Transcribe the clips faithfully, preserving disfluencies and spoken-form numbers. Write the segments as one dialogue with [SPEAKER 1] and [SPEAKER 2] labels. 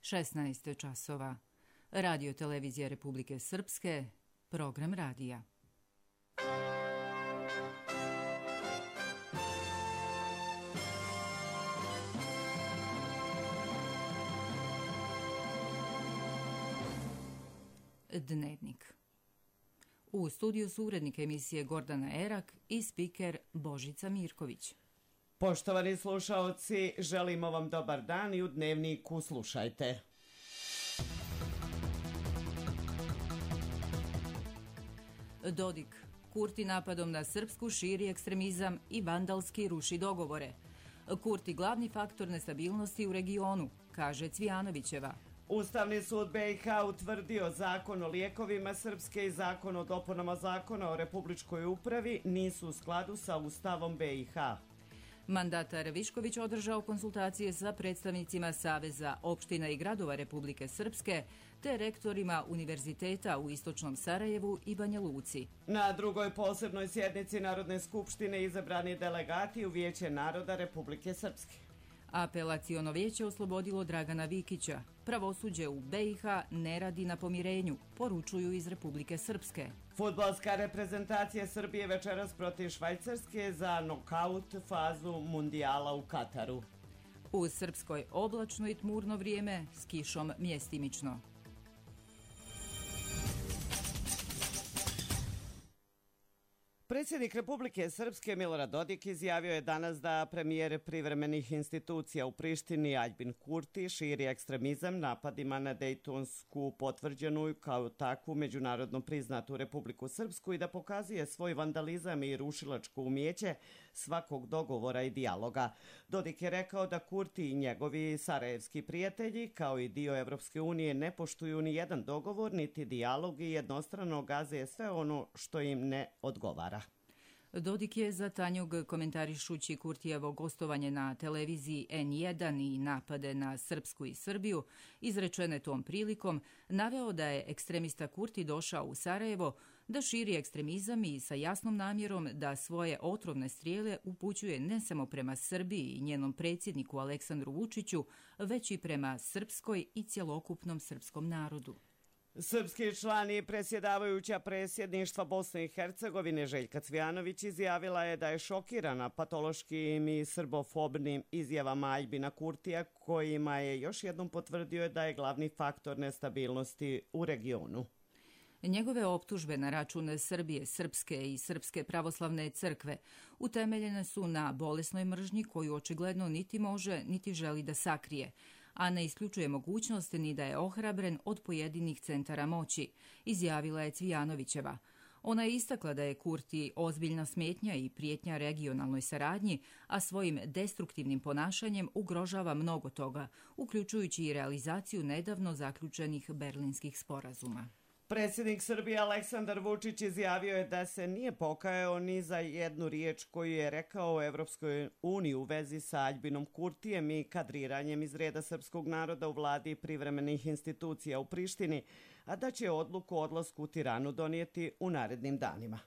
[SPEAKER 1] šesnaest časova. Radio Televizija Republike Srpske, program radija. Dnevnik. U studiju su urednik emisije Gordana Erak i spiker Božica Mirković.
[SPEAKER 2] Poštovani slušaoci, želimo vam dobar dan i u Dnevniku slušajte.
[SPEAKER 1] Dodik. Kurti napadom na Srpsku širi ekstremizam i vandalski ruši dogovore. Kurti glavni faktor nestabilnosti u regionu, kaže Cvijanovićeva.
[SPEAKER 2] Ustavni sud B i H utvrdio zakon o lijekovima Srpske i zakon o dopunama zakona o republičkoj upravi nisu u skladu sa Ustavom B i H.
[SPEAKER 1] Mandatar Višković održao konsultacije sa predstavnicima Saveza opština i gradova Republike Srpske te rektorima univerziteta u Istočnom Sarajevu i Banja Luci.
[SPEAKER 2] Na drugoj posebnoj sjednici Narodne skupštine izabrani delegati u Vijeće naroda Republike Srpske.
[SPEAKER 1] Apelaciono vijeće oslobodilo Dragana Vikića. Pravosuđe u B i H ne radi na pomirenju, poručuju iz Republike Srpske.
[SPEAKER 2] Fudbalska reprezentacija Srbije večeras protiv Švajcarske za nokaut fazu mundijala u Kataru.
[SPEAKER 1] U Srpskoj oblačno i tmurno vrijeme s kišom mjestimično.
[SPEAKER 2] Predsjednik Republike Srpske Milorad Dodik izjavio je danas da premijer privremenih institucija u Prištini Aljbin Kurti širi ekstremizam napadima na Dejtonsku potvrđenu kao takvu međunarodno priznatu Republiku Srpsku i da pokazuje svoj vandalizam i rušilačko umijeće svakog dogovora i dijaloga. Dodik je rekao da Kurti i njegovi sarajevski prijatelji kao i dio Evropske unije ne poštuju ni jedan dogovor niti dijalog i jednostrano gaze sve ono što im ne odgovara.
[SPEAKER 1] Dodik je za Tanjug komentarišući Kurtijevo gostovanje na televiziji N jedan i napade na Srpsku i Srbiju, izrečene tom prilikom, naveo da je ekstremista Kurti došao u Sarajevo da širi ekstremizam i sa jasnom namjerom da svoje otrovne strijele upućuje ne samo prema Srbiji i njenom predsjedniku Aleksandru Vučiću, već i prema Srpskoj i cjelokupnom srpskom narodu.
[SPEAKER 2] Srpski član i predsjedavajuća predsjedništva Bosne i Hercegovine Željka Cvijanović izjavila je da je šokirana patološkim i srbofobnim izjavama Aljbina Kurtija kojima je još jednom potvrdio da je glavni faktor nestabilnosti u regionu.
[SPEAKER 1] Njegove optužbe na račun Srbije, Srpske i Srpske pravoslavne crkve utemeljene su na bolesnoj mržnji koju očigledno niti može niti želi da sakrije, a ne isključuje mogućnost ni da je ohrabren od pojedinih centara moći, izjavila je Cvijanovićeva. Ona je istakla da je Kurti ozbiljna smetnja i prijetnja regionalnoj saradnji, a svojim destruktivnim ponašanjem ugrožava mnogo toga, uključujući i realizaciju nedavno zaključenih berlinskih sporazuma.
[SPEAKER 2] Predsjednik Srbije Aleksandar Vučić izjavio je da se nije pokajao ni za jednu riječ koju je rekao o Evropskoj uniji u vezi sa Aljbinom Kurtijem i kadriranjem iz reda srpskog naroda u vladi privremenih institucija u Prištini, a da će odluku o odlasku u Tiranu donijeti u narednim danima.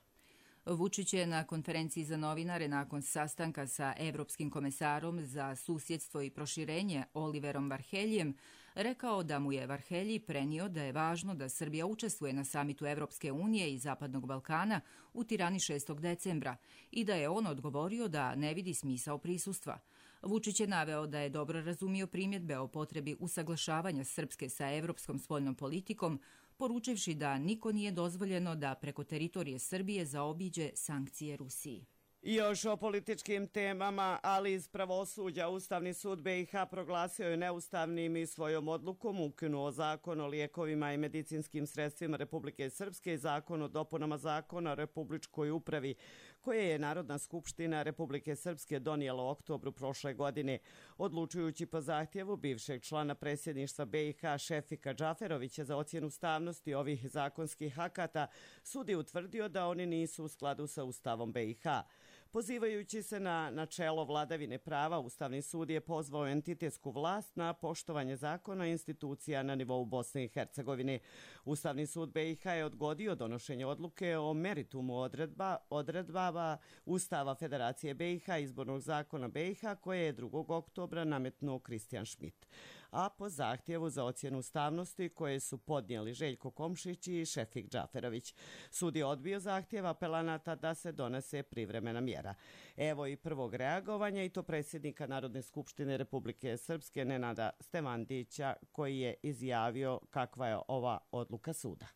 [SPEAKER 1] Vučić je na konferenciji za novinare nakon sastanka sa Evropskim komesarom za susjedstvo i proširenje Oliverom Varheljijem rekao da mu je Varhelji prenio da je važno da Srbija učestvuje na samitu Evropske unije i Zapadnog Balkana u Tirani šestog decembra i da je on odgovorio da ne vidi smisao prisustva. Vučić je naveo da je dobro razumio primjedbe o potrebi usaglašavanja Srpske sa evropskom spoljnom politikom, poručivši da niko nije dozvoljeno da preko teritorije Srbije zaobiđe sankcije Rusiji.
[SPEAKER 2] I još o političkim temama, ali iz pravosuđa Ustavni sud B i H proglasio je neustavnim i svojom odlukom ukinuo zakon o lijekovima i medicinskim sredstvima Republike Srpske i zakon o dopunama zakona o republičkoj upravi, koje je Narodna skupština Republike Srpske donijela u oktobru prošle godine, odlučujući po zahtjevu bivšeg člana predsjedništva B i H Šefika Džaferovića za ocjenu ustavnosti ovih zakonskih akata. Sud je utvrdio da oni nisu u skladu sa Ustavom B i H. Pozivajući se na načelo vladavine prava, Ustavni sud je pozvao entitetsku vlast na poštovanje zakona i institucija na nivou Bosne i Hercegovine. Ustavni sud B i H je odgodio donošenje odluke o meritumu odredba, odredbava Ustava Federacije B i H, izbornog zakona B i H, koje je drugog oktobra nametnuo Kristijan Šmit. a po zahtjevu za ocjenu ustavnosti koje su podnijeli Željko Komšić i Šefik Džaferović. Sud je odbio zahtjev apelanata da se donese privremena mjera. Evo i prvog reagovanja, i to predsjednika Narodne skupštine Republike Srpske Nenada Stevandića, koji je izjavio kakva je ova odluka suda.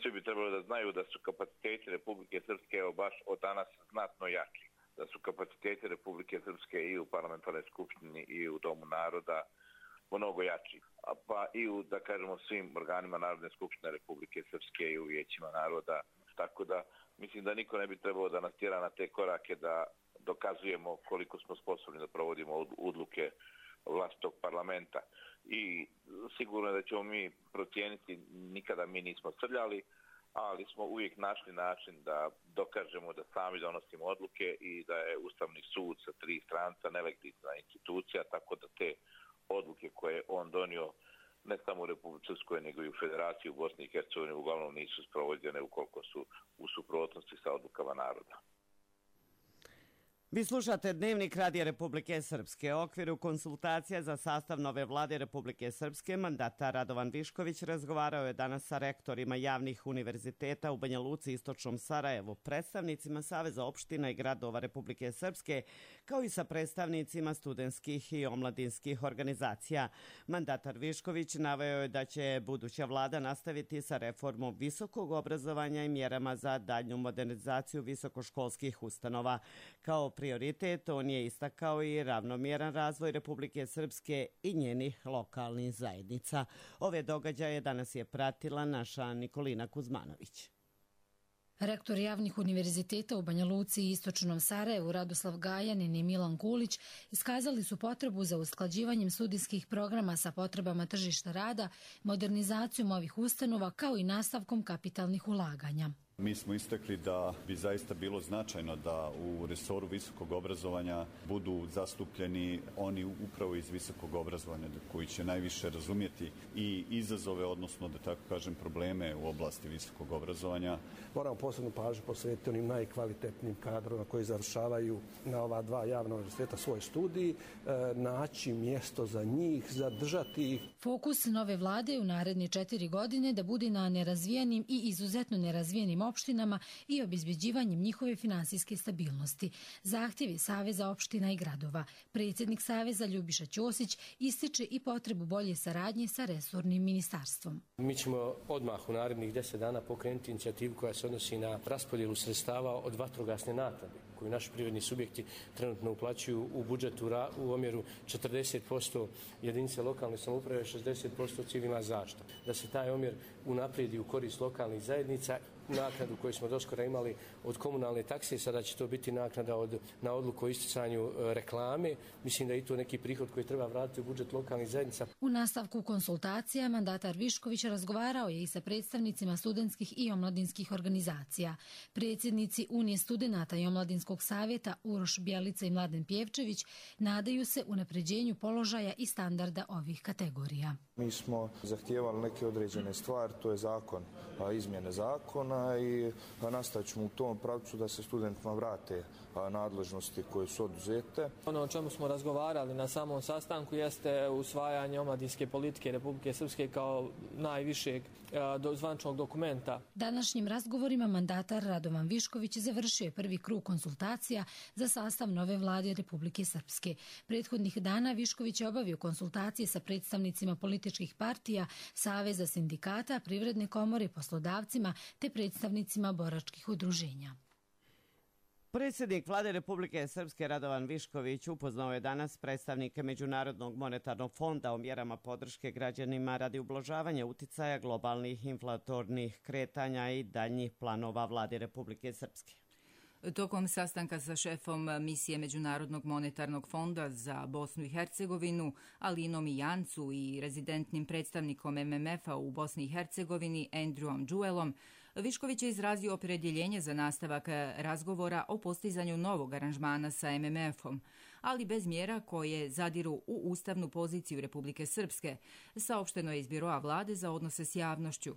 [SPEAKER 3] Svi bi trebalo da znaju da su kapaciteti Republike Srpske evo baš od danas znatno jači. Da su kapaciteti Republike Srpske i u parlamentarnoj skupštini i u Domu naroda mnogo jači. Pa i u, da kažemo, svim organima Narodne skupštine Republike Srpske i u vijećima naroda. Tako da mislim da niko ne bi trebalo da nas tjera na te korake da dokazujemo koliko smo sposobni da provodimo odluke vlastitog parlamenta. I sigurno da ćemo mi procijeniti, nikada mi nismo srljali, ali smo uvijek našli način da dokažemo da sami donosimo odluke i da je Ustavni sud sa tri stranca nelegitimna institucija, tako da te odluke koje on donio ne samo u Republici Srpskoj, nego i u Federaciji u Bosni i Hercegovini uglavnom nisu sprovođene ukoliko su u suprotnosti sa odlukama naroda.
[SPEAKER 2] Vi slušate Dnevnik Radija Republike Srpske. U okviru konsultacija za sastav nove vlade Republike Srpske mandatar Radovan Višković razgovarao je danas sa rektorima javnih univerziteta u Banja Luci, Istočnom Sarajevu, predstavnicima Saveza opština i gradova Republike Srpske, kao i sa predstavnicima studentskih i omladinskih organizacija. Mandatar Višković naveo je da će buduća vlada nastaviti sa reformom visokog obrazovanja i mjerama za daljnju modernizaciju visokoškolskih ustanova. Kao prioritet on je istakao i ravnomjeran razvoj Republike Srpske i njenih lokalnih zajednica. Ove događaje danas je pratila naša Nikolina Kuzmanović.
[SPEAKER 4] Rektor javnih univerziteta u Banja Luci i Istočnom Sarajevu Radoslav Gajanin i Milan Kulić iskazali su potrebu za usklađivanjem studijskih programa sa potrebama tržišta rada, modernizacijom ovih ustanova kao i nastavkom kapitalnih ulaganja.
[SPEAKER 5] Mi smo istakli da bi zaista bilo značajno da u resoru visokog obrazovanja budu zastupljeni oni upravo iz visokog obrazovanja koji će najviše razumjeti i izazove, odnosno da tako kažem probleme u oblasti visokog obrazovanja.
[SPEAKER 6] Moramo posebnu pažnju posvetiti onim najkvalitetnijim kadrovima koji završavaju na ova dva javna univerziteta svoj studij, naći mjesto za njih, zadržati ih.
[SPEAKER 4] Fokus nove vlade u naredne četiri godine da bude na nerazvijenim i izuzetno nerazvijenim opštinama i obezbeđivanjem njihove finansijske stabilnosti. Zahtjevi Saveza opština i gradova. Predsjednik Saveza Ljubiša Ćosić ističe i potrebu bolje saradnje sa resornim ministarstvom.
[SPEAKER 7] Mi ćemo odmah u narednih deset dana pokrenuti inicijativu koja se odnosi na raspodjelu sredstava od vatrogasne naknade koju naši privredni subjekti trenutno uplaćuju u budžetu u omjeru četrdeset posto jedinice lokalne samouprave, šezdeset posto civilna zaštita. Da se taj omjer unaprijedi u korist lokalnih zajednica. Naknadu koju smo doskora imali od komunalne takse, sada će to biti naknada od, na odluku o isticanju reklame. Mislim da je to neki prihod koji treba vratiti u budžet lokalnih zajednica.
[SPEAKER 4] U nastavku konsultacija mandatar Višković razgovarao je i sa predstavnicima studentskih i omladinskih organizacija. Predsjednici Unije studenata i omladinskog savjeta Uroš Bjelica i Mladen Pjevčević nadaju se unapređenju položaja i standarda ovih kategorija.
[SPEAKER 8] Mi smo zahtijevali neke određene stvari, to je zakon, izmjene zakona i nastavit ćemo u tom pravcu da se studentima vrate nadležnosti koje su oduzete.
[SPEAKER 9] Ono o čemu smo razgovarali na samom sastanku jeste usvajanje omladinske politike Republike Srpske kao najvišeg zvaničnog dokumenta.
[SPEAKER 4] Današnjim razgovorima mandatar Radovan Višković završio je prvi krug konsultacija za sastav nove vlade Republike Srpske. Prethodnih dana Višković je obavio konsultacije sa predstavnicima političkih partija, Saveza sindikata, Privredne komore, poslodavcima te predstavnicima boračkih udruženja.
[SPEAKER 2] Predsjednik vlade Republike Srpske Radovan Višković upoznao je danas predstavnike Međunarodnog monetarnog fonda o mjerama podrške građanima radi ublažavanja uticaja globalnih inflatornih kretanja i daljnjih planova vlade Republike Srpske.
[SPEAKER 1] Tokom sastanka sa šefom misije Međunarodnog monetarnog fonda za Bosnu i Hercegovinu, Alinom Ijancu i rezidentnim predstavnikom M M F-a u Bosni i Hercegovini, Andrewom Džuelom, Višković je izrazio opredjeljenje za nastavak razgovora o postizanju novog aranžmana sa M M F-om, ali bez mjera koje zadiru u ustavnu poziciju Republike Srpske, saopšteno je iz Biroa vlade za odnose s javnošću.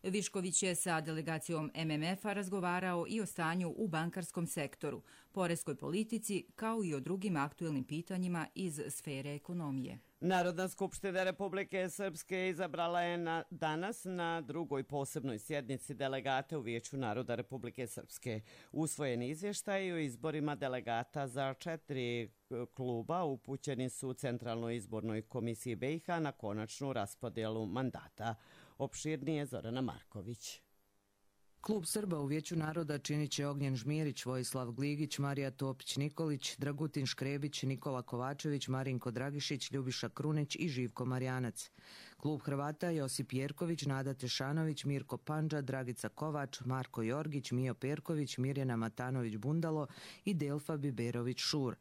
[SPEAKER 1] Višković je sa delegacijom M M F-a razgovarao i o stanju u bankarskom sektoru, poreskoj politici, kao i o drugim aktuelnim pitanjima iz sfere ekonomije.
[SPEAKER 2] Narodna skupština Republike Srpske izabrala je na, danas na drugoj posebnoj sjednici delegate u Vijeću naroda Republike Srpske. Usvojen izvještaj o izborima delegata za četiri kluba upućeni su Centralnoj izbornoj komisiji B i H na konačnu raspodjelu mandata. Opširnije Zorana Marković.
[SPEAKER 10] Klub Srba u Vijeću naroda činit će Ognjen Žmirić, Vojislav Gligić, Marija Topić-Nikolić, Dragutin Škrebić, Nikola Kovačević, Marinko Dragišić, Ljubiša Krunić i Živko Marjanac. Klub Hrvata Josip Jerković, Nada Tešanović, Mirko Pandža, Dragica Kovač, Marko Jorgić, Mijo Perković, Mirjana Matanović-Bundalo i Delfa Biberović-Šur.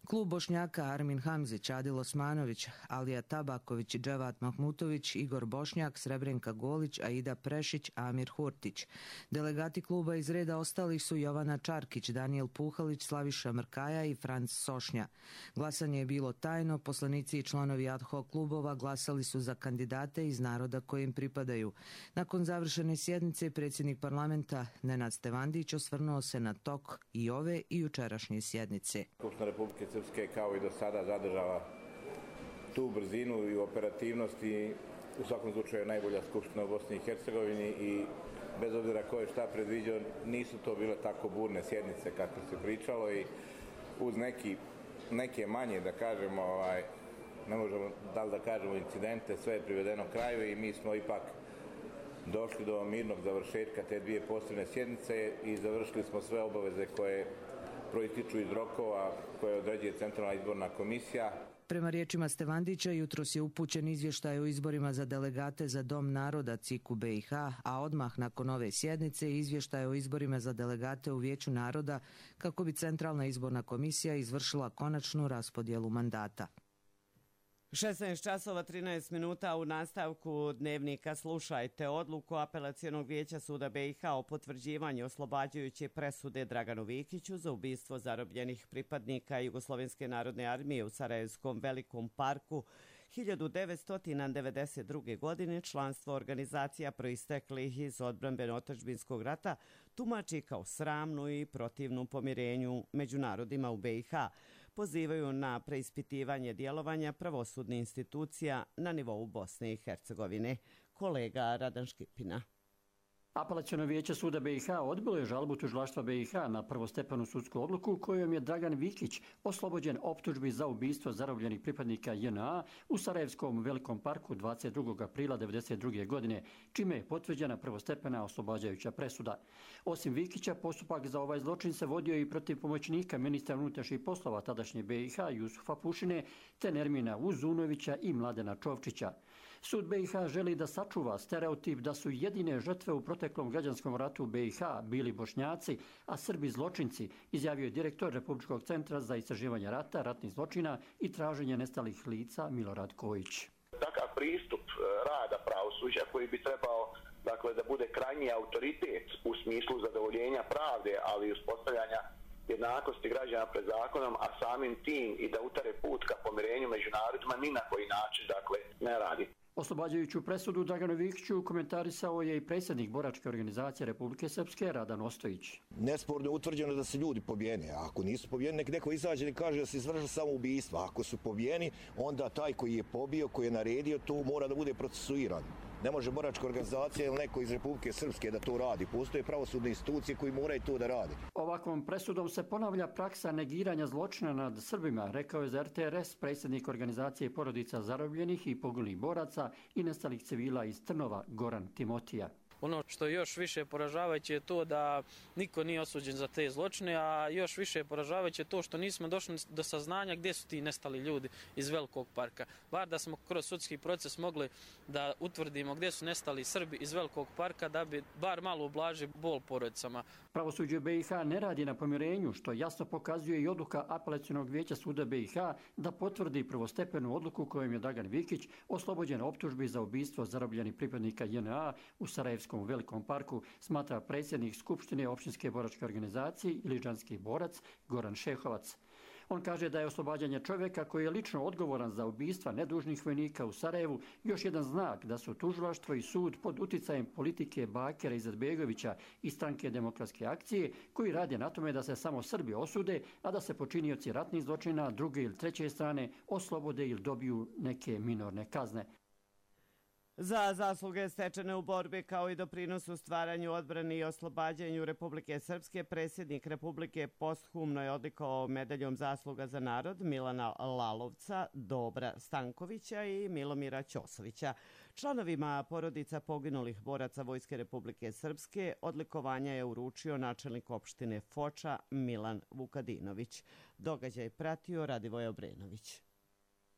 [SPEAKER 10] Klub Bošnjaka Armin Hamzić, Adil Osmanović, Alija Tabaković, Dževat Mahmutović, Igor Bošnjak, Srebrenka Golić, Aida Prešić, Amir Hurtić. Delegati kluba iz reda ostalih su Jovana Čarkić, Danijel Puhalić, Slaviša Mrkaja i Franc Sošnja. Glasanje je bilo tajno, poslanici i članovi ad hoc klubova glasali su za kandidate iz naroda kojim pripadaju. Nakon završene sjednice, predsjednik parlamenta Nenad Stevandić osvrnuo se na tok i ove i jučerašnje sjednice.
[SPEAKER 3] Skupština Republike Srpske kao i do sada zadržava tu brzinu i operativnost i u svakom slučaju najbolja skupština u Bosni i Hercegovini i bez obzira ko je šta predviđao, nisu to bile tako burne sjednice kako se pričalo i uz neki, neke manje, da kažemo, ovaj, ne možemo da li da kažemo incidente, sve je privedeno kraju i mi smo ipak došli do mirnog završetka te dvije posebne sjednice i završili smo sve obaveze koje proističu iz rokova koje određuje Centralna izborna komisija.
[SPEAKER 10] Prema riječima Stevandića, jutros je upućen izvještaj o izborima za delegate za Dom naroda C I K U B i H, a odmah nakon ove sjednice izvještaj o izborima za delegate u Vijeću naroda kako bi Centralna izborna komisija izvršila konačnu raspodjelu mandata.
[SPEAKER 2] šesnaest časova trinaest minuta u nastavku dnevnika slušajte odluku Apelacionog vijeća suda B i H o potvrđivanju oslobađajuće presude Draganu Vikiću za ubistvo zarobljenih pripadnika Jugoslovenske narodne armije u Sarajevskom velikom parku hiljadu devetsto devedeset druge. godine. Članstvo organizacija proisteklih iz odbrambeno-otadžbinskog rata tumači kao sramnu i protivnu pomirenju među narodima u B i H. Pozivaju na preispitivanje djelovanja pravosudnih institucija na nivou Bosne i Hercegovine. Kolega Radan Škipina.
[SPEAKER 11] Apelaciono vijeće suda B i H odbilo je žalbu tužilaštva B i H na prvostepenu sudsku odluku kojom je Dragan Vikić oslobođen optužbi za ubistvo zarobljenih pripadnika J N A u Sarajevskom velikom parku dvadeset drugog aprila devedeset druge. godine, čime je potvrđena prvostepena oslobađajuća presuda. Osim Vikića, postupak za ovaj zločin se vodio i protiv pomoćnika ministra unutrašnjih poslova tadašnje B i H Jusufa Pušine, te Nermina Uzunovića i Mladena Čovčića. Sud B i H želi da sačuva stereotip da su jedine žrtve u proteklom građanskom ratu u B i H bili Bošnjaci, a Srbi zločinci, izjavio je direktor Republičkog centra za istraživanje rata, ratnih zločina i traženje nestalih lica Milorad Kojić.
[SPEAKER 12] Takav pristup rada pravosuđa koji bi trebao, dakle, da bude krajnji autoritet u smislu zadovoljenja pravde, ali i uspostavljanja jednakosti građana pred zakonom, a samim tim i da utare put ka pomirenju među narodima, ni na koji način, dakle, ne radi.
[SPEAKER 11] Oslobađajuću presudu Draganu Vikiću komentarisao je i predsjednik boračke organizacije Republike Srpske Radan Ostojić.
[SPEAKER 13] Nesporno je utvrđeno da se ljudi pobijene, a ako nisu pobijeni, nek neko izađe i kaže da se izvršilo samoubistvo. Ako su pobijeni, onda taj koji je pobio, koji je naredio, to mora da bude procesuiran. Ne može boračka organizacija ili neko iz Republike Srpske da to radi. Postoje pravosudne institucije koji moraju to da radi.
[SPEAKER 11] Ovakvom presudom se ponavlja praksa negiranja zločina nad Srbima, rekao je za R T R S predsjednik organizacije porodica zarobljenih i poginulih boraca i nestalih civila iz Trnova Goran Timotija.
[SPEAKER 14] Ono što je još više poražavajuće je to da niko nije osuđen za te zločine, a još više poražavajuće je to što nismo došli do saznanja gdje su ti nestali ljudi iz Velikog parka. Bar da smo kroz sudski proces mogli da utvrdimo gdje su nestali Srbi iz Velikog parka, da bi bar malo ublažili bol porodicama.
[SPEAKER 11] Pravosuđe B i H ne radi na pomirenju, što jasno pokazuje i odluka Apelacionog vijeća suda B i H da potvrdi prvostepenu odluku kojom je Dragan Vikić oslobođen optužbi za ubistvo zarobljenih pripadnika J N A u Sarajevskom velikom parku, smatra predsjednik Skupštine opštinske boračke organizacije Iliđanski borac Goran Šehovac. On kaže da je oslobađanje čovjeka koji je lično odgovoran za ubistva nedužnih vojnika u Sarajevu još jedan znak da su tužilaštvo i sud pod uticajem politike Bakira Izetbegovića i stranke Demokratske akcije koji rade na tome da se samo Srbi osude, a da se počinioci ratnih zločina druge ili treće strane oslobode ili dobiju neke minorne kazne.
[SPEAKER 2] Za zasluge stečene u borbi kao i doprinos u stvaranju, odbrani i oslobađanju Republike Srpske, predsjednik Republike posthumno je odlikovao medaljom zasluga za narod Milana Lalovca, Dobra Stankovića i Milomira Ćosovića. Članovima porodica poginulih boraca Vojske Republike Srpske odlikovanja je uručio načelnik opštine Foča Milan Vukadinović. Događaj pratio Radivoj Obrenović.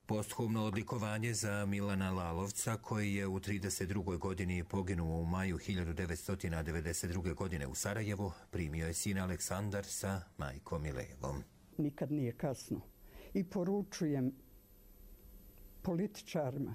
[SPEAKER 15] Posthumno odlikovanje za Milana Lalovca, koji je u trideset drugoj godini poginuo u maju hiljadu devetsto devedeset druge. godine u Sarajevu, primio je sin Aleksandar sa majkom Milevom.
[SPEAKER 16] Nikad nije kasno i poručujem političarima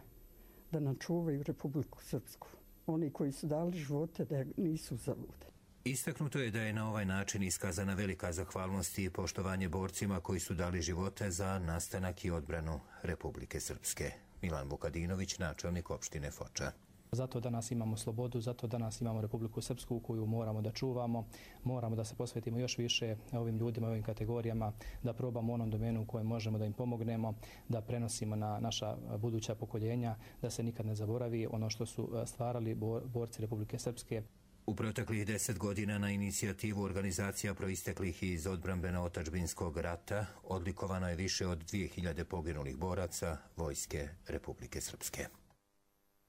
[SPEAKER 16] da načuvaju Republiku Srpsku. Oni koji su dali živote da nisu zalude.
[SPEAKER 15] Istaknuto je da je na ovaj način iskazana velika zahvalnost i poštovanje borcima koji su dali živote za nastanak i odbranu Republike Srpske. Milan Vukadinović, načelnik opštine Foča.
[SPEAKER 17] Zato danas imamo slobodu, zato danas imamo Republiku Srpsku koju moramo da čuvamo, moramo da se posvetimo još više ovim ljudima, ovim kategorijama, da probamo u onom domenu u kojem možemo da im pomognemo, da prenosimo na naša buduća pokoljenja, da se nikad ne zaboravi ono što su stvarali borci Republike Srpske.
[SPEAKER 15] U proteklih deset godina na inicijativu organizacija proisteklih iz odbrambeno-otadžbinskog rata odlikovano je više od dvije hiljade poginulih boraca Vojske Republike Srpske.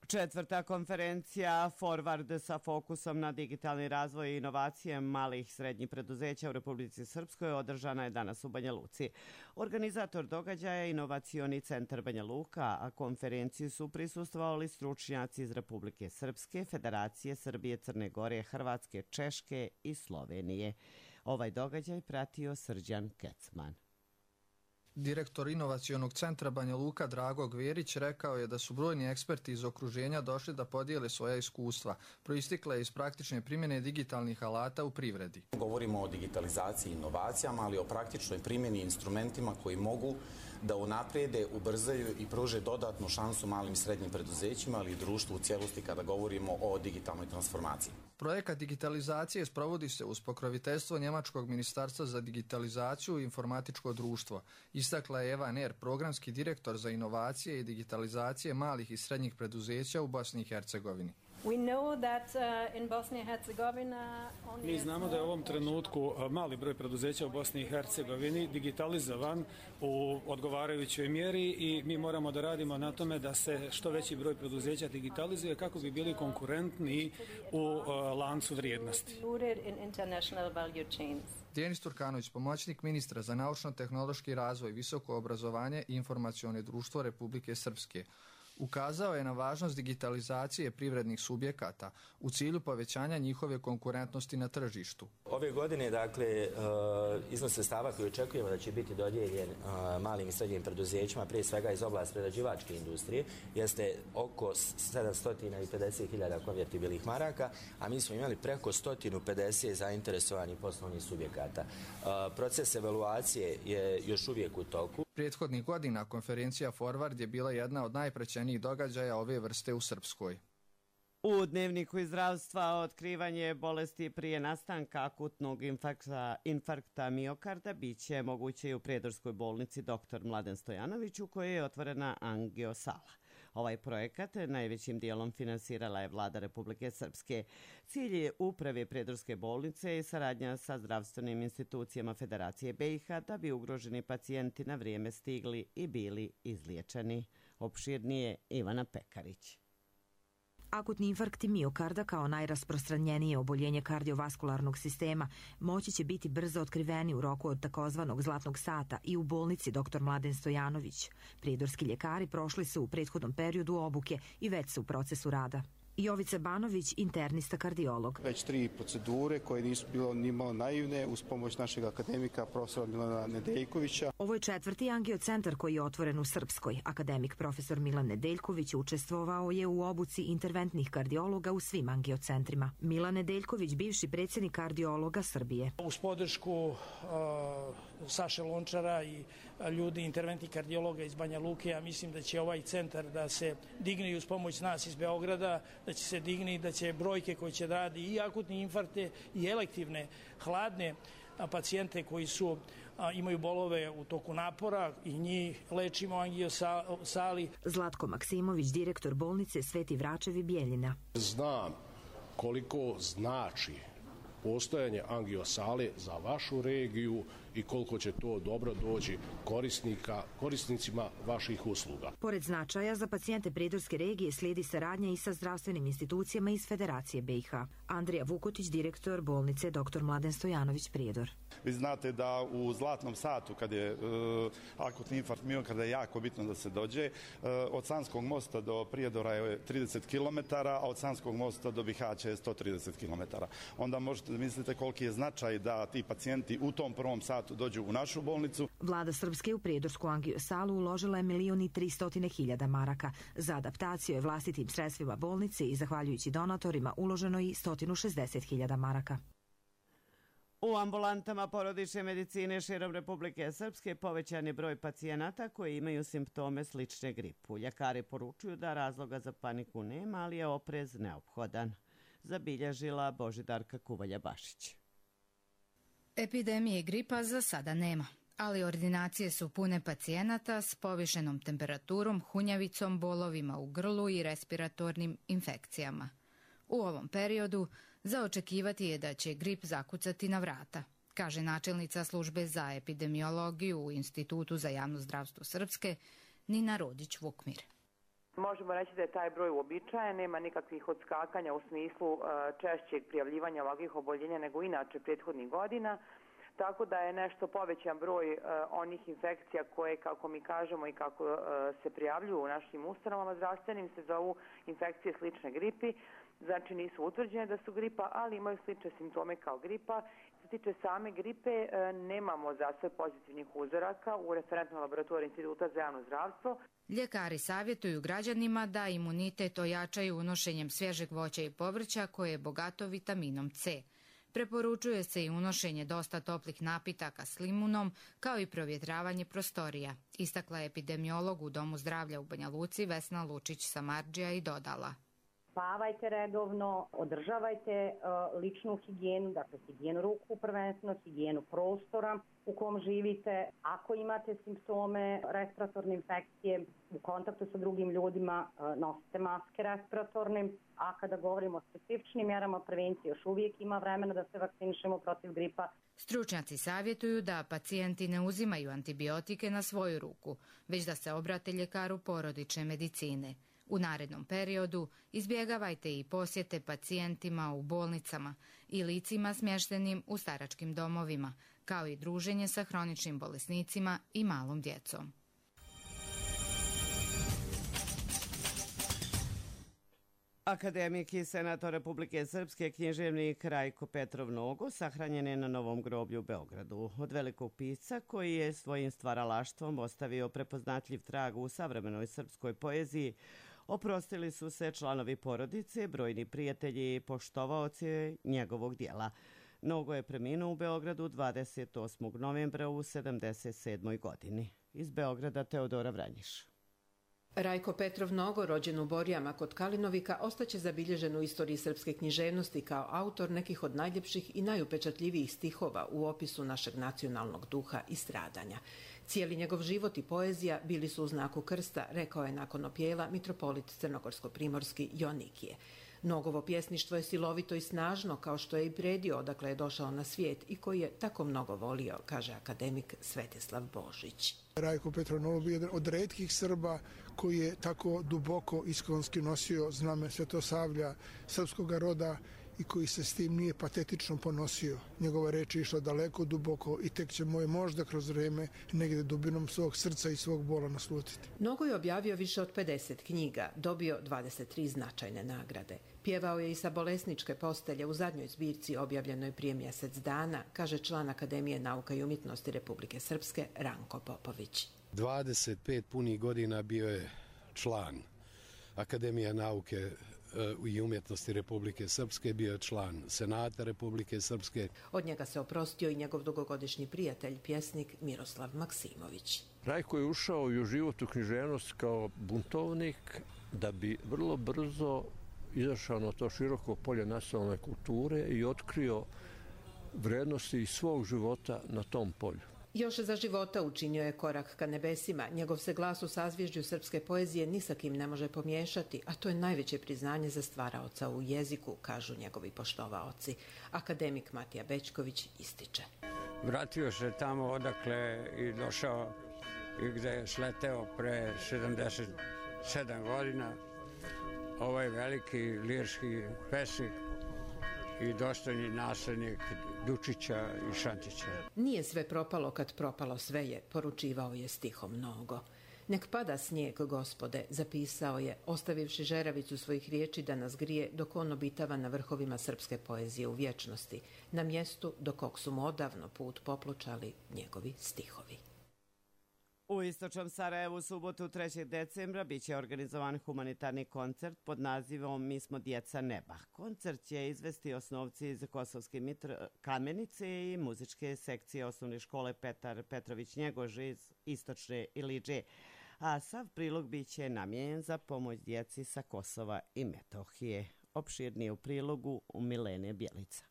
[SPEAKER 2] Četvrta konferencija Forward sa fokusom na digitalni razvoj i inovacije malih i srednjih preduzeća u Republici Srpskoj održana je danas u Banja Luci. Organizator događaja je Inovacioni centar Banja Luka, a konferenciji su prisustvovali stručnjaci iz Republike Srpske, Federacije Srbije, Crne Gore, Hrvatske, Češke i Slovenije. Ovaj događaj pratio Srđan Kecman.
[SPEAKER 18] Direktor Inovacionog centra Banja Luka Drago Gverić rekao je da su brojni eksperti iz okruženja došli da podijele svoja iskustva, proistikle iz praktične primjene digitalnih alata u privredi.
[SPEAKER 19] Govorimo o digitalizaciji i inovacijama, ali o praktičnoj primjeni instrumentima koji mogu da unaprijede, ubrzaju i pruže dodatnu šansu malim i srednjim preduzećima, ali i društvu u cijelosti kada govorimo o digitalnoj transformaciji.
[SPEAKER 18] Projekat digitalizacije sprovodi se uz pokroviteljstvo Njemačkog ministarstva za digitalizaciju i informatičko društvo. Istakla je Eva Ner, programski direktor za inovacije i digitalizacije malih i srednjih preduzeća u Bosni i Hercegovini.
[SPEAKER 20] Mi znamo da je u ovom trenutku mali broj preduzeća u Bosni i Hercegovini digitalizovan u odgovarajućoj mjeri i mi moramo da radimo na tome da se što veći broj preduzeća digitalizuje kako bi bili konkurentni u lancu vrijednosti.
[SPEAKER 18] Denis Turkanović, pomoćnik ministra za naučno-tehnološki razvoj, visoko obrazovanje i informacione društvo Republike Srpske, ukazao je na važnost digitalizacije privrednih subjekata u cilju povećanja njihove konkurentnosti na tržištu.
[SPEAKER 21] Ove godine, dakle, iznos sredstava koji očekujemo da će biti dodijeljen malim i srednjim preduzećima, prije svega iz oblasti prerađivačke industrije, jeste oko sedamsto pedeset hiljada konvertibilnih maraka, a mi smo imali preko sto pedeset zainteresovanih poslovnih subjekata. Proces evaluacije je još uvijek u toku.
[SPEAKER 18] Prethodnih godina konferencija Forward je bila jedna od najprećenijih događaja ove vrste u Srpskoj.
[SPEAKER 2] U dnevniku iz zdravstva otkrivanje bolesti prije nastanka akutnog infarkta, infarkta miokarda biće moguće i u Prijedorskoj bolnici doktor Mladen Stojanović u kojoj je otvorena angiosala. Ovaj projekat najvećim dijelom finansirala je vlada Republike Srpske. Cilj je uprave Prijedorske bolnice i saradnja sa zdravstvenim institucijama Federacije B i H da bi ugroženi pacijenti na vrijeme stigli i bili izliječeni. Opširnije Ivana Pekarić.
[SPEAKER 22] Akutni infarkti miokarda kao najrasprostranjenije oboljenje kardiovaskularnog sistema moći će biti brzo otkriveni u roku od takozvanog zlatnog sata i u bolnici doktor Mladen Stojanović. Prijedorski ljekari prošli su u prethodnom periodu obuke i već su u procesu rada. Jovica Banović, internista kardiolog.
[SPEAKER 5] Već tri procedure koje nisu bilo ni malo naivne uz pomoć našeg akademika profesora Milana Nedeljkovića.
[SPEAKER 22] Ovo je četvrti angiocentar koji je otvoren u Srpskoj. Akademik profesor Milan Nedeljković učestvovao je u obuci interventnih kardiologa u svim angiocentrima. Milan Nedeljković, bivši predsjednik kardiologa Srbije.
[SPEAKER 6] Uz podršku uh, Saše Lončara i ljudi interventnih kardiologa iz Banja Luke, ja mislim da će ovaj centar da se digne i uz pomoć nas iz Beograda, da će se digne i da će brojke koje će radi i akutne infarkte i elektivne, hladne pacijente koji su a, imaju bolove u toku napora i njih lečimo u angiosali.
[SPEAKER 22] Zlatko Maksimović, direktor bolnice Sveti Vračevi Bijeljina.
[SPEAKER 23] Znam koliko znači postojanje angiosale za vašu regiju i koliko će to dobro doći korisnika, korisnicima vaših usluga.
[SPEAKER 22] Pored značaja za pacijente Prijedorske regije slijedi saradnja i sa zdravstvenim institucijama iz Federacije B i H. Andrija Vukotić, direktor bolnice doktor Mladen Stojanović Prijedor.
[SPEAKER 24] Vi znate da u zlatnom satu kad je uh, akutni infarkt miokarda je jako bitno da se dođe. Uh, od Sanskog mosta do Prijedora je trideset kilometara, a od Sanskog mosta do Bihaća je sto trideset kilometara. Onda možete misliti koliki je značaj da ti pacijenti u tom prvom satu dođu u našu bolnicu.
[SPEAKER 22] Vlada Srpske u Prijedorsku angiosalu uložila je milion i tristotine hiljada maraka. Za adaptaciju je vlastitim sredstvima bolnice i zahvaljujući donatorima uloženo i sto šezdeset hiljada maraka.
[SPEAKER 2] U ambulantama porodične medicine širom Republike Srpske povećan je broj pacijenata koji imaju simptome slične gripu. Ljekari poručuju da razloga za paniku nema, ali je oprez neophodan. Zabilježila Božidarka Kuvalja-Bašić.
[SPEAKER 25] Epidemije gripa za sada nema, ali ordinacije su pune pacijenata s povišenom temperaturom, hunjavicom, bolovima u grlu i respiratornim infekcijama. U ovom periodu za očekivati je da će grip zakucati na vrata, kaže načelnica službe za epidemiologiju u Institutu za javno zdravstvo Srpske, Nina Rodić-Vukmir.
[SPEAKER 26] Možemo reći da je taj broj uobičajen, nema nikakvih odskakanja u smislu uh, češćeg prijavljivanja ovakvih oboljenja nego inače prethodnih godina, tako da je nešto povećan broj uh, onih infekcija koje, kako mi kažemo i kako uh, se prijavljuju u našim ustanovama zdravstvenim, se zovu infekcije slične gripi, znači nisu utvrđene da su gripa, ali imaju slične simptome kao gripa. Što se tiče same gripe, uh, nemamo za sve pozitivnih uzoraka u referentnoj laboratoriji Instituta za javno zdravstvo.
[SPEAKER 25] Ljekari savjetuju građanima da imunitet ojačaju unošenjem svježeg voća i povrća koje je bogato vitaminom C. Preporučuje se i unošenje dosta toplih napitaka s limunom, kao i provjetravanje prostorija, istakla je epidemiolog u Domu zdravlja u Banja Luci Vesna Lučić-Samardžija i dodala.
[SPEAKER 27] Spavajte redovno, održavajte uh, ličnu higijenu, dakle higijenu ruku prvenstveno, higijenu prostora u kom živite. Ako imate simptome respiratorne infekcije u kontaktu sa drugim ljudima, uh, nosite maske respiratorne, a kada govorimo o specifičnim mjerama prevencije, još uvijek ima vremena da se vakcinišemo protiv gripa.
[SPEAKER 25] Stručnjaci savjetuju da pacijenti ne uzimaju antibiotike na svoju ruku, već da se obrate ljekaru porodične medicine. U narednom periodu izbjegavajte i posjete pacijentima u bolnicama i licima smještenim u staračkim domovima, kao i druženje sa hroničnim bolesnicima i malom djecom.
[SPEAKER 2] Akademik i senator Republike Srpske književnik Rajko Petrov Nogo sahranjen je na Novom groblju u Beogradu. Od velikog pisca koji je svojim stvaralaštvom ostavio prepoznatljiv trag u savremenoj srpskoj poeziji, oprostili su se članovi porodice, brojni prijatelji i poštovaoci njegovog dijela. Nogo je preminuo u Beogradu dvadeset osmog novembra u sedamdeset sedmoj godini. Iz Beograda Teodora Vranjiš.
[SPEAKER 28] Rajko Petrov Nogo, rođen u Borijama kod Kalinovika, ostaće zabilježen u istoriji srpske književnosti kao autor nekih od najljepših i najupečatljivijih stihova u opisu našeg nacionalnog duha i stradanja. Cijeli njegov život i poezija bili su u znaku krsta, rekao je nakon opjela mitropolit crnogorsko-primorski Jonikije. Nogovo pjesništvo je silovito i snažno, kao što je i predio odakle je došao na svijet i koji je tako mnogo volio, kaže akademik Svetislav Božić.
[SPEAKER 29] Rajko Petrov Nogo bio jedan od retkih Srba koji je tako duboko iskonski nosio zname Svetosavlja, srpskog roda i koji se s tim nije patetično ponosio. Njegova reč je išla daleko, duboko i tek će moje možda kroz vreme negde dubinom svog srca i svog bola naslutiti.
[SPEAKER 28] Nogo je objavio više od pedeset knjiga, dobio dvadeset tri značajne nagrade. Pjevao je i sa bolesničke postelje u zadnjoj zbirci objavljenoj prije mjesec dana, kaže član Akademije nauka i umjetnosti Republike Srpske Ranko Popović.
[SPEAKER 23] dvadeset pet punih godina bio je član Akademije nauke i umjetnosti Republike Srpske, bio je član Senata Republike Srpske.
[SPEAKER 28] Od njega se oprostio i njegov dugogodišnji prijatelj, pjesnik Miroslav Maksimović.
[SPEAKER 1] Rajko je ušao i u život u književnost kao buntovnik da bi vrlo brzo izašao na to široko polje nacionalne kulture i otkrio vrednosti svog života na tom polju.
[SPEAKER 28] Još za života učinio je korak ka nebesima. Njegov se glas u sazvježđu srpske poezije ni sa kim ne može pomiješati, a to je najveće priznanje za stvaraoca u jeziku, kažu njegovi poštovaoci. Akademik Matija Bećković ističe.
[SPEAKER 3] Vratio se tamo odakle i došao i gde je sleteo pre sedamdeset sedam godina. Ovaj veliki lirski pesnik i dostojni naslednik Dučića i Šantića.
[SPEAKER 28] Nije sve propalo kad propalo sve je, poručivao je stihom Nogo. Nek pada snijeg, gospode, zapisao je, ostavivši žeravicu svojih riječi da nas grije dok on obitava na vrhovima srpske poezije u vječnosti, na mjestu do kog su mu odavno put popločali njegovi stihovi.
[SPEAKER 2] U istočnom Sarajevu u subotu trećeg decembra biće organizovan humanitarni koncert pod nazivom Mi smo djeca neba. Koncert će izvesti osnovci iz Kosovske Mitro Kamenice i muzičke sekcije osnovne škole Petar Petrović Njegož iz istočne Ilidže, a sav prilog biće namijenjen za pomoć djeci sa Kosova i Metohije. Opširnije u prilogu u Milene Bjelica.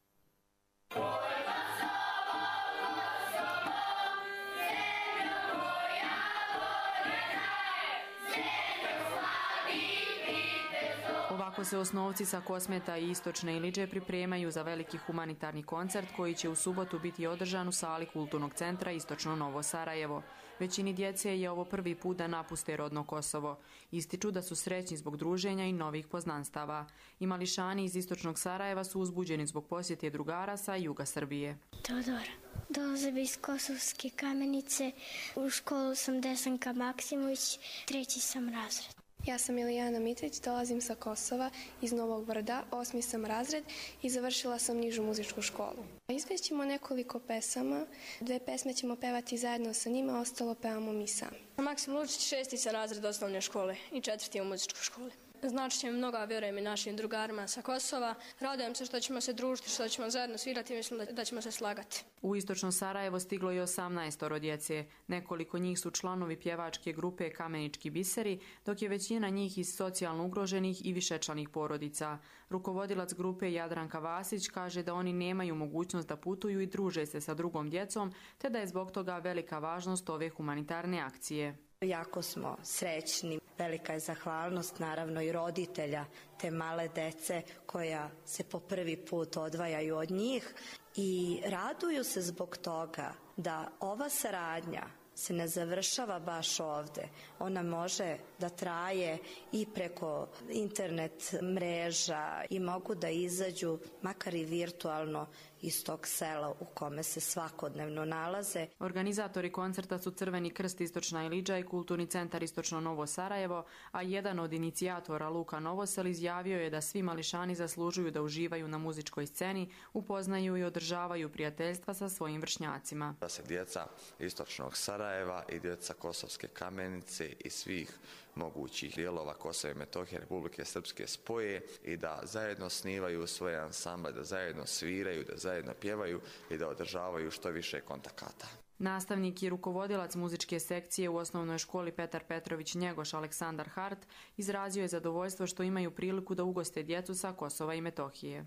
[SPEAKER 4] Ovako se osnovci sa Kosmeta i istočne Ilidže pripremaju za veliki humanitarni koncert koji će u subotu biti održan u sali Kulturnog centra Istočno Novo Sarajevo. Većini djece je ovo prvi put da napuste rodno Kosovo. Ističu da su srećni zbog druženja i novih poznanstava. I mališani iz Istočnog Sarajeva su uzbuđeni zbog posjete drugara sa juga Srbije.
[SPEAKER 7] Teodora. Dolazim iz Kosovske Kamenice. U školu sam Desanka Maksimović, treći sam razred.
[SPEAKER 8] Ja sam Ilijana Mitrić, dolazim sa Kosova, iz Novog Brda, osmi sam razred i završila sam nižu muzičku školu. Izvećemo nekoliko pesama, dve pesme ćemo pevati zajedno sa njima, ostalo pevamo mi sami.
[SPEAKER 9] Maksim Lučić, šesti sam razred osnovne škole i četvrti u muzičkoj školi. Znači će mi mnogo, vjerujem i našim drugarima sa Kosova. Radujem se što ćemo se družiti, što ćemo zajedno svirati i mislim da, da ćemo se slagati.
[SPEAKER 4] U istočno Sarajevo stiglo je osamnaestoro djece. Nekoliko njih su članovi pjevačke grupe Kamenički biseri, dok je većina njih iz socijalno ugroženih i višečlanih porodica. Rukovodilac grupe Jadranka Vasić kaže da oni nemaju mogućnost da putuju i druže se sa drugom djecom, te da je zbog toga velika važnost ove humanitarne akcije.
[SPEAKER 10] Jako smo srećni, velika je zahvalnost naravno i roditelja te male dece koja se po prvi put odvajaju od njih i raduju se zbog toga da ova saradnja se ne završava baš ovde. Ona može da traje i preko internet mreža i mogu da izađu makar i virtualno iz tog sela u kome se svakodnevno nalaze.
[SPEAKER 4] Organizatori koncerta su Crveni krst Istočna Ilidža i Kulturni centar Istočno Novo Sarajevo, a jedan od inicijatora Luka Novosel izjavio je da svi mališani zaslužuju da uživaju na muzičkoj sceni, upoznaju i održavaju prijateljstva sa svojim vršnjacima.
[SPEAKER 12] Da se djeca Istočnog Sarajeva i djeca Kosovske Kamenice i svih mogućih dijelova Kosova i Metohije Republike Srpske spoje i da zajedno snivaju svoje ansamble, da zajedno sviraju, da zajedno pjevaju i da održavaju što više kontakata.
[SPEAKER 4] Nastavnik i rukovodilac muzičke sekcije u osnovnoj školi Petar Petrović Njegoš Aleksandar Hart izrazio je zadovoljstvo što imaju priliku da ugoste djecu sa Kosova i Metohije.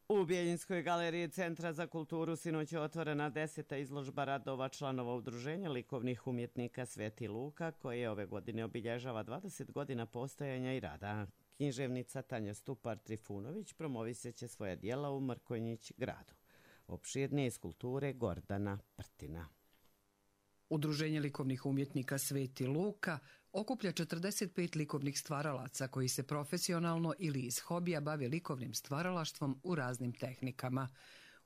[SPEAKER 2] U Bjeljinskoj galeriji Centra za kulturu sinoć je otvorena deseta izložba radova članova udruženja likovnih umjetnika Sveti Luka, koje ove godine obilježava dvadeset godina postojanja i rada. Književnica Tanja Stupar-Trifunović promoviseće svoja dijela u Mrkonjić gradu. Opširnije iz kulture Gordana Prtina.
[SPEAKER 13] Udruženje likovnih umjetnika Sveti Luka
[SPEAKER 11] okuplja četrdeset pet likovnih stvaralaca koji se profesionalno ili iz hobija bave likovnim stvaralaštvom u raznim tehnikama.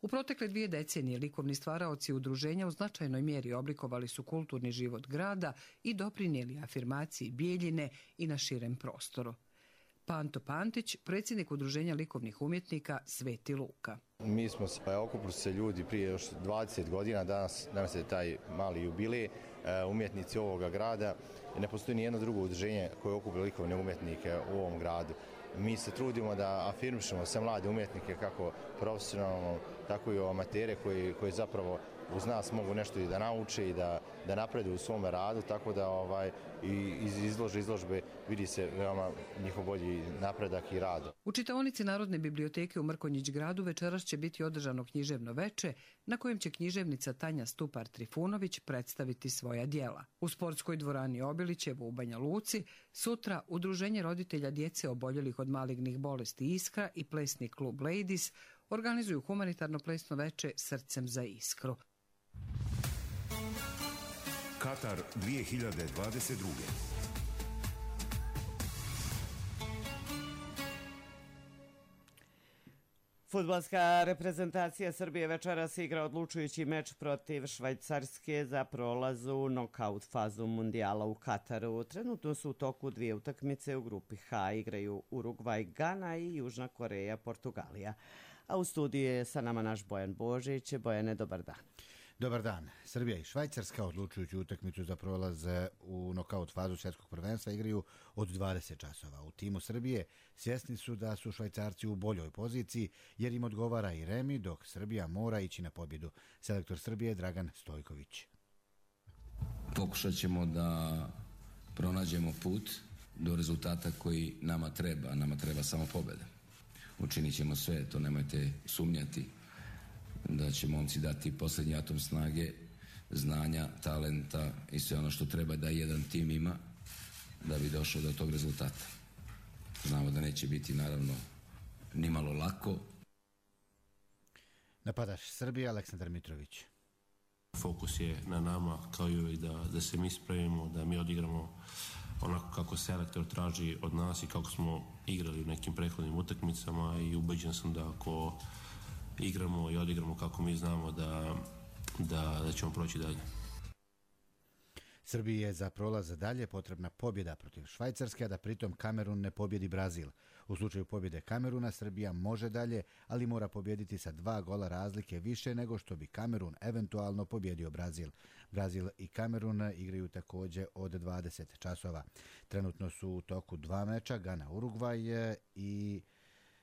[SPEAKER 11] U protekle dvije decenije likovni stvaraoci udruženja u značajnoj mjeri oblikovali su kulturni život grada i doprinijeli afirmaciji Bijeljine i na širem prostoru. Panto Pantić, predsjednik udruženja likovnih umjetnika Sveti Luka.
[SPEAKER 13] Mi smo se okupili se ljudi prije još dvadeset godina, danas, danas je taj mali jubilej, umjetnici ovoga grada. Ne postoji ni jedno drugo udruženje koje okuplja likovne umjetnike u ovom gradu. Mi se trudimo da afirmišemo sve mlade umjetnike, kako profesionalno, tako i amatere koji, koji zapravo uz nas mogu nešto i da nauče i da, da napreduju u svome radu, tako da ovaj, i iz izlože izložbe vidi se veoma njihov bolji napredak i rad.
[SPEAKER 11] U čitaonici Narodne biblioteke u Mrkonjić gradu večeras će biti održano književno veče na kojem će književnica Tanja Stupar-Trifunović predstaviti svoja djela. U sportskoj dvorani Obilićevo u Banja Luci sutra Udruženje roditelja djece oboljelih od malignih bolesti Iskra i plesni klub Ladies organizuju humanitarno plesno veče Srcem za Iskru.
[SPEAKER 14] Katar dvije hiljade dvadeset druge.
[SPEAKER 2] Fudbalska reprezentacija Srbije večeras igra odlučujući meč protiv Švajcarske za prolaz u nokaut fazu mundijala u Kataru. Trenutno su u toku dvije utakmice u grupi H. Igraju Urugvaj, Gana i Južna Koreja, Portugalija. A u studiju je sa nama naš Bojan Božić. Bojane, dobar dan.
[SPEAKER 15] Dobar dan. Srbija i Švajcarska odlučujuću utakmicu za prolaz u nokaut fazu svjetskog prvenstva igraju od dvadeset časova. U timu Srbije svjesni su da su Švajcarci u boljoj poziciji jer im odgovara i remi, dok Srbija mora ići na pobjedu. Selektor Srbije Dragan Stojković.
[SPEAKER 16] Pokušat ćemo da pronađemo put do rezultata koji nama treba. Nama treba samo pobjeda. Učinit ćemo sve, to nemojte sumnjati, da će momci dati posljednji atom snage, znanja, talenta i sve ono što treba da jedan tim ima da bi došao do tog rezultata. Znamo da neće biti naravno nimalo lako.
[SPEAKER 15] Napadaš Srbije Aleksandar Mitrović.
[SPEAKER 17] Fokus je na nama kao i uvijek da, da se mi spremimo, da mi odigramo onako kako selektor traži od nas i kako smo igrali u nekim prethodnim utakmicama i ubeđen sam da ako igramo i odigramo kako mi znamo da, da, da ćemo proći dalje.
[SPEAKER 15] Srbiji je za prolaz dalje potrebna pobjeda protiv Švajcarske, a da pritom Kamerun ne pobjedi Brazil. U slučaju pobjede Kameruna, Srbija može dalje, ali mora pobjediti sa dva gola razlike više nego što bi Kamerun eventualno pobjedio Brazil. Brazil i Kamerun igraju također od dvadeset časova. Trenutno su u toku dva meča, Gana Urugvaj i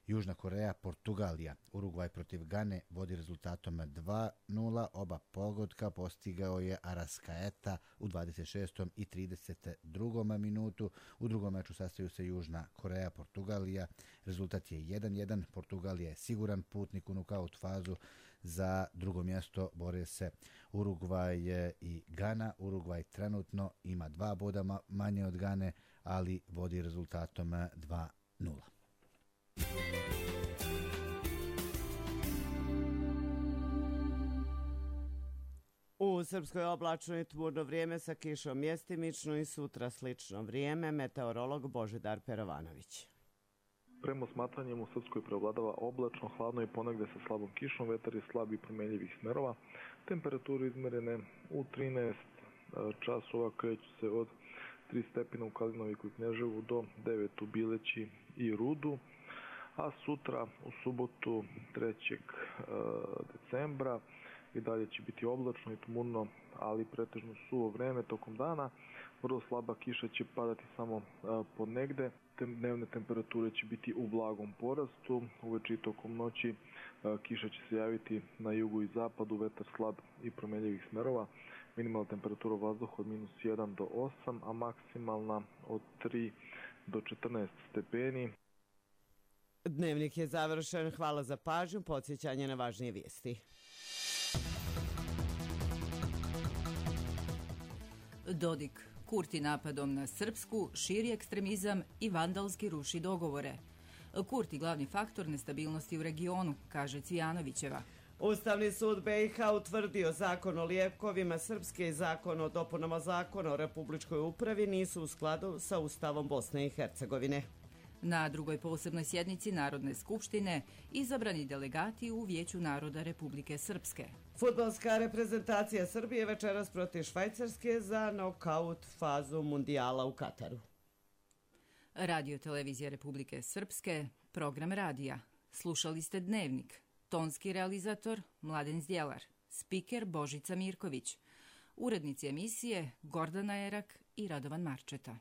[SPEAKER 15] Južna Koreja, Portugalija. Urugvaj protiv Gane vodi rezultatom dva nula. Oba pogotka postigao je Arrascaeta u dvadeset šestom i trideset drugom minutu. U drugom meču sastaju se Južna Koreja, Portugalija. Rezultat je jedan jedan. Portugalija je siguran putnik u nokaut fazu. Za drugo mjesto bore se Urugvaj i Gana. Urugvaj trenutno ima dva boda manje od Gane, ali vodi rezultatom dva nula.
[SPEAKER 2] U Srpskoj oblačno i tmurno vrijeme sa kišom mjestimično i sutra slično vrijeme. Meteorolog Božidar Perovanović.
[SPEAKER 19] Prema smatranjem u Srpskoj preovladava oblačno, hladno i ponegde sa slabom kišom, vetar je slab i promenljivih smerova. Temperaturu izmerene u trinaest časova kreću se od tri stepena u Kalinoviku i Knježevu do devet u Bileći i Rudu. A sutra u subotu trećeg decembra i dalje će biti oblačno i tmurno, ali pretežno suvo vreme tokom dana. Vrlo slaba kiša će padati samo ponegde. Dnevne temperature će biti u blagom porastu. Uveče i tokom noći kiša će se javiti na jugu i zapadu, vetar slab i promenljivih smerova. Minimalna temperatura vazduha od minus jedan do osam, a maksimalna od tri do četrnaest stepeni.
[SPEAKER 2] Dnevnik je završen. Hvala za pažnju. Podsjećanje na važnije vijesti.
[SPEAKER 20] Dodik. Kurti napadom na Srpsku širi ekstremizam i vandalski ruši dogovore. Kurti glavni faktor nestabilnosti u regionu, kaže Cvijanovićeva.
[SPEAKER 2] Ustavni sud be i ha utvrdio zakon o lijekovima Srpske i zakon o dopunama zakona o republičkoj upravi nisu u skladu sa Ustavom Bosne i Hercegovine.
[SPEAKER 20] Na drugoj posebnoj sjednici Narodne skupštine izabrani delegati u Vijeću naroda Republike Srpske.
[SPEAKER 2] Fudbalska reprezentacija Srbije večeras protiv Švajcarske za nokaut fazu mundijala u Kataru.
[SPEAKER 20] Radio televizija Republike Srpske, program radija. Slušali ste Dnevnik. Tonski realizator Mladen Zdjelar, spiker Božica Mirković, urednici emisije Gordana Erak i Radovan Marčeta.